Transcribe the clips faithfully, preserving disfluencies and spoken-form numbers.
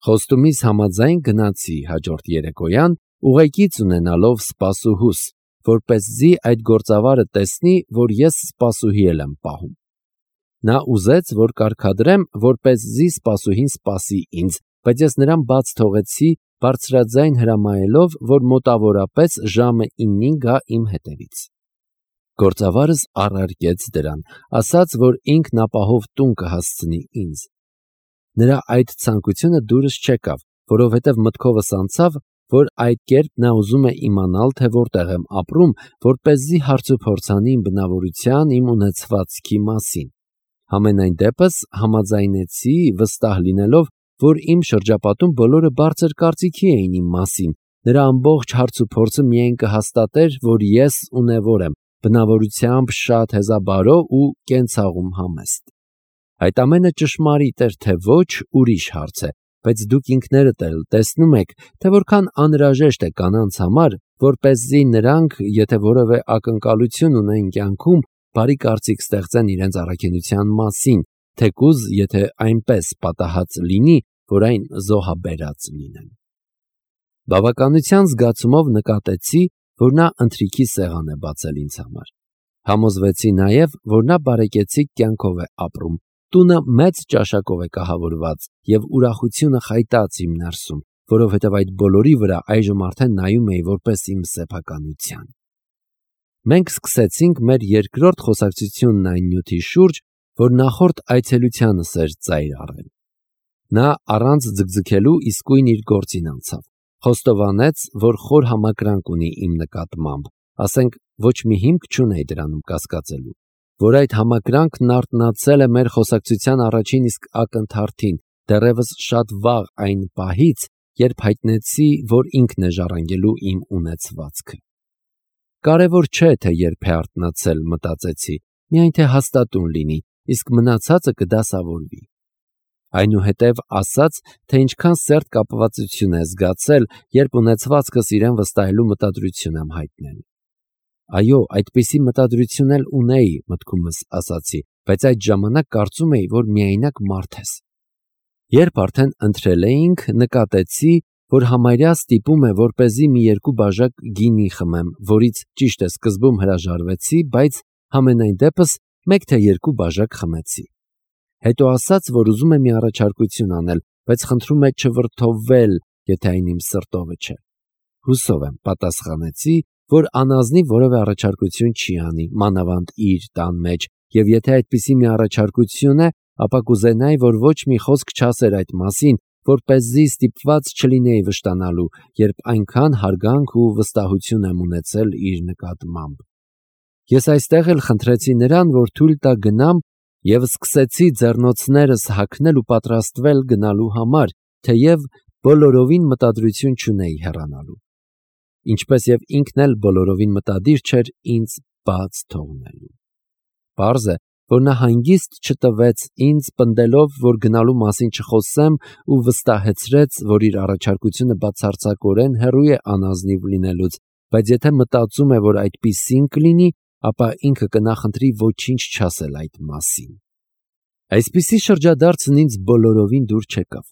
Խոստումից համաձայն գնացի հաջորդ երեկոյան, ուղեկից ունենալով սպասուհուս, որպեսզի այդ գործավարը տեսնի, որ ես սպասուհի էլ եմ պահում։ Նա ուզեց, որ կարգադրեմ, որպեսզի սպասուհին սպասի ինձ, բայց ես նրան բաց թողեցի, բարձրաձայն հրամայելով, որ մոտավորապես ժամը իննին գա իմ հետևից։ Գործավարս առարկեց դրան, ասաց, որ ինքն ապահով տուն կհասցնի ինձ։ Նրա այդ ցանկությունը դուրս չեկավ, որովհետև մտքովս անցավ, որ այդ կերպ նա ուզում է իմանալ, թե որտեղ եմ ապրում, որպեսզի հարցուփորձանի իմ բնավորության, իմ ունեցվածքի մասին։ Համենայն դեպս համաձայնեցի, վստահ լինելով, որ իմ շրջապատում բոլորը բարձր կարծիքի էին իմ մասին, նրա ամբողջ հարցուփորձը միայն կհաստատեր, որ ես ունևոր եմ, բնավորությամբ շատ հեզաբարո ու կենցաղում համեստ։ Այդ ամենը ճշմարիտ էր, թե ոչ, ուրիշ հարց է, բայց դուք ինքներդ էլ տեսնում եք, թե որքան անհրաժեշտ է կանանց համար, որպեսզի նրանք, եթե որևէ ակնկալություն ունեն կյանքում, բարի կարծիք ստեղծեն իրենց առաքինության մասին, թեկուզ եթե այնպես պատահած լինի, որ այն զոհաբերած լինեն։ Բավականության զգացումով նկատեցի, որ նա ընթրիքի սեղան է բացել ինձ համար։ Համոզվեցի նաև, որ նա բարեկեցիկ կյանքով է ապրում, տունը մեծ ճաշակով է կահավորված և ուրախությունը խայտած իմ ներսում, որովհետև այդ բոլորի վրա այժմ արդեն նայում էի որպես իմ սեփականության։ Մենք սկսեցինք մեր երկրորդ խոսակցությունն այն նյութի շուրջ, որ նախորդ այցելությանս էր ծայր առել։ Նա առանց ձգձգելու իսկույն իր գործին անցավ, խոստովանեց, որ խոր համակրանք ունի իմ նկատմամբ, ասենք ոչ մի հիմք չունեի դրանում կասկածելու, որ այդ համակրանքն արթնացել է մեր խոսակցության առաջին իսկ ակնթարթին, դեռևս շատ վաղ այն պահից, երբ հայտնեցի, որ ինքն է ժառանգելու իմ ունեցվածքը։ Կարևոր չէ, թե երբ է արթնացել, մտածեցի, միայն թե հաստատուն լինի, իսկ մնացածը կդասավորվի։ Այնուհետև ասաց, թե ինչքան սերտ կապվածություն է զգացել, երբ ունեցվածքս իրեն վստահելու մտադրություն եմ հայտնել։ Այո, այդպիսի մտադրություն էլ ունեի, մտքումս ասացի, բայց այդ ժամանակ կարծում էի, որ միայնակ մարդ ես։ Երբ արդեն ընթրել էինք, նկատեցի, որ համարյա ստիպում է, որպեսզի մի երկու բաժակ գինի խմեմ, որից ճիշտ է սկզբում հրաժարվեցի, բայց համենայն դեպս մեկ թե երկու բաժակ խմեցի։ Հետո ասաց, որ ուզում է մի առաջարկություն անել, բայց խնդրում է չվրդովվել, եթե այն իմ սրտովը չէ։ Հուսով եմ, պատասխանեցի, որ անազնիվ որևէ առաջարկություն չի անի, մանավանդ իր տան մեջ, և եթե այդպիսի մի առաջարկություն է, ապա կուզենայի, որ ոչ մի խոսք չասեր այդ մասին, որպեսզի ստիպված չլինեի վշտանալու, երբ այնքան հարգանք ու վստահություն եմ ունեցել իր նկատմամբ։ Ես այստեղ էլ խնդրեցի նրան, որ թույլ տա գնամ, և սկսեցի ձեռնոցներս հագնել ու պատրաստվել գնալու համար, թեև բոլորովին մտադրություն չունեի հեռանալու, ինչպես և ինքն էլ բոլորովին մտադիր չէր ինձ բաց թողնելու։ Պարզ է, որ նա հանգիստ չտվեց ինձ, պնդելով, որ գնալու մասին չխոսեմ, ու վստահեցրեց, որ իր առաջարկությունը բացարձակորեն հեռու է անազնիվ լինելուց, բայց եթե մտածում է, որ այդպիսին կլինի, ապա ինքը կնախընտրի ոչինչ չասել այդ մասին։ Այսպիսի շրջադարձն ինձ բոլորովին դուր չեկավ։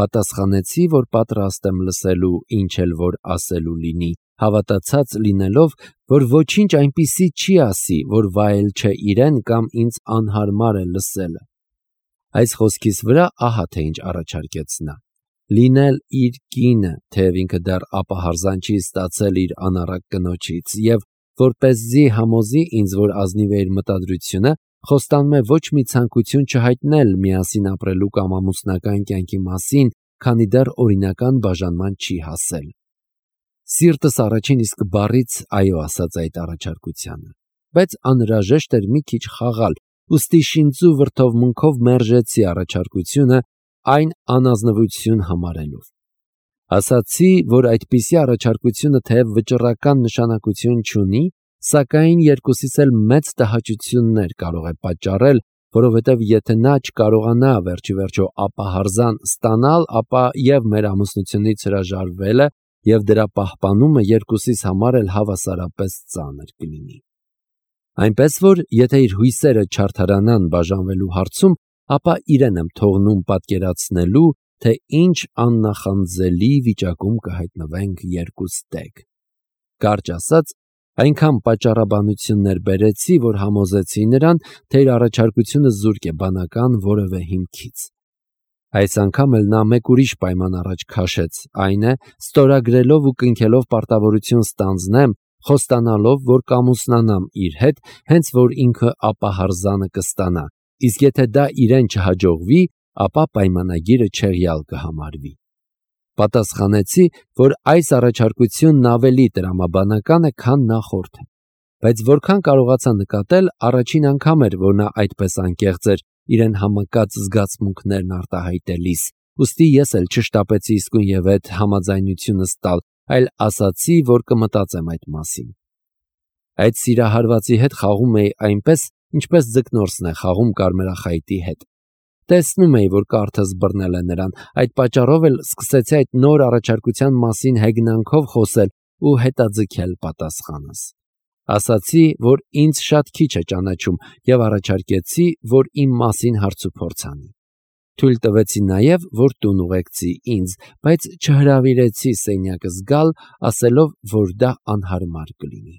Պատասխանեցի, որ պատրաստ եմ լսելու, ինչ էլ որ ասելու լինի, հավատացած լինելով, որ ոչինչ այնպիսի չի ասի, որ վայել չէ իրեն կամ ինձ անհարմար է լսելը։ Այս խոսքիս վրա ահա թե ինչ առաջարկեց նա. լինել իր կինը, թեև ինքը դեռ ապահարզան չի ստացել իր անառակ կնոջից, և որպեսզի համոզի ինձ, որ ազնիվ է իր մտադրությունը, խոստանում է ոչ մի ցանկություն չհայտնել միասին ապրելու կամ ամուսնական կյանքի մասին, քանի դեռ օրինական բաժանման չի հասել։ Սիրտս առաջին իսկ բառից այո ասաց այդ առաջարկությանը, բայց անհրաժեշտ էր մի քիչ խաղալ, ուստի շինծու վրդովմունքով մերժեցի առաջարկությունը, այն անազնվություն համարելով։ Ասացի, որ այդպիսի առաջարկությունը թեև վճռական նշանակություն չունի, սակայն երկուսիս էլ մեծ տհաճություններ կարող է պատճառել, որովհետև եթե նա չկարողանա վերջիվերջո ապահարզան ստանալ, ապա և մեր ամուսնությունից հրաժարվելը և դրա պահպանումը երկուսիս համար էլ հավասարապես ծանր կլինի։ Այնպես որ, եթե իր հույսերը չարդարանան բաժանվելու հարցում, ապա իրեն եմ թողնում պատկերացնելու, թե ինչ աննախանձելի վիճակում կհայտնվենք երկուս տեղ։ Կարճ ասած, այնքան պատճառաբանություններ բերեցի, որ համոզեցի նրան, թե իր առաջարկությունը զուրկ է բանական որևէ հիմքից։ Այս անգամ էլ նա մեկ ուրիշ պայման առաջ քաշեց, այն է, ստորագրելով ու կնքելով պարտավորություն ստանձնեմ, խոստանալով, որ կամուսնանամ իր հետ, հենց որ ինքը ապահարզանը կստանա, իսկ եթե դա իրեն չհաջողվի, ապա պայմանագիրը չեղյալ կհամարվի։ Պատասխանեցի, որ այս առաջարկությունն ավելի տրամաբանական է, քան նախորդը, բայց որքան կարողացա նկատել, առաջին անգամ էր, որ նա այդպես անկեղծ էր իրեն համակած զգացմունքներն արտահայտելիս, ուստի ես էլ չշտապեցի իսկույնևեթ համաձայնությունս տալ, այլ ասացի, որ կմտածեմ այդ մասին։ Այդ սիրահարվածի հետ խաղում էի այնպես, ինչպես ձկնորսն է խաղում կարմրախայտի հետ։ Տեսնում էի, որ կարթս բռնել է նրան, այդ պատճառով էլ սկսեցի այդ նոր առաջարկության մասին հեգնանքով խոսել ու հետաձգել պատասխանս։ Ասացի, որ ինձ շատ քիչ է ճանաչում և առաջարկեցի, որ իմ մասին հարցուփորձ անի։ Թույլ տվեցի նաև, որ տուն ուղեկցի ինձ, բայց չհրավիրեցի սենյակս գալ, ասելով, որ դա անհարմար կլինի։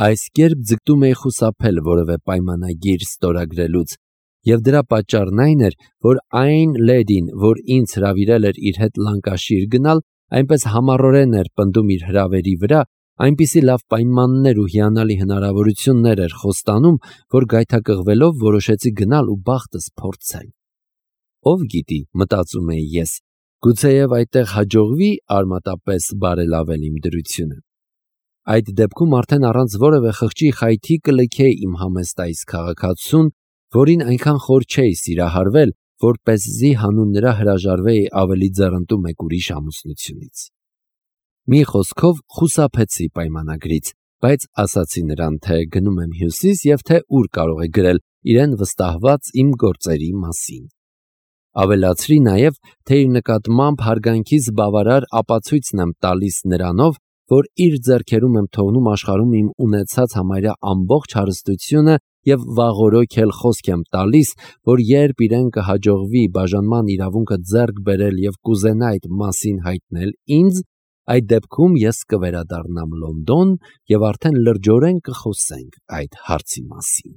Այս կերպ ձգտում էի խուսափել որևէ պայմանագիր ստորագրելուց, և դրա պատճառն այն էր, որ այն լեդին, որ ինձ հրավիրել էր իր հետ Լանկաշիր գնալ, այնպես համառորեն էր պնդում իր հրավերի վրա, այնպիսի լավ պայմաններ ու հիանալի հնարավորություններ էր խոստանում, որ գայթակղվելով որոշեցի գնալ ու բախտս փորձել։ Ով գիտի, մտածում էի ես, գուցեև այդտեղ հաջողվի արմատապես բարելավել իմ դրությունը։ Այդ դեպքում արդեն առանց որևէ խղճի խայթի կլքեի իմ համեստ այս քաղաքացուն, որին այնքան խոր չէի սիրահարվել, որպեսզի հանուն նրա հրաժարվեի ավելի ձեռնտու մեկ ուրիշ ամուսնությունից։ Մի խոսքով խուսափեցի պայմանագրից, բայց ասացի նրան, թե գնում եմ Հյուսիս և թե ուր կարող է գրել իրեն վստահված իմ գործերի մասին։ Ավելացրի նաև, թե իր նկատմամբ հարգանքիս բավարար ապացույցն եմ տալիս նրանով, որ իր ձեռքերում եմ թողնում աշխարհում իմ ունեցած համարյա ամբողջ հարստությունը և վաղօրոք էլ խոսք եմ տալիս, որ երբ իրեն կհաջողվի բաժանման իրավունքը ձեռք բերել և կուզենա այդ մասին հայտնել ինձ, այդ դեպքում ես կվերադառնամ Լոնդոն և արդեն լրջորեն կխոսենք այդ հարցի մասին։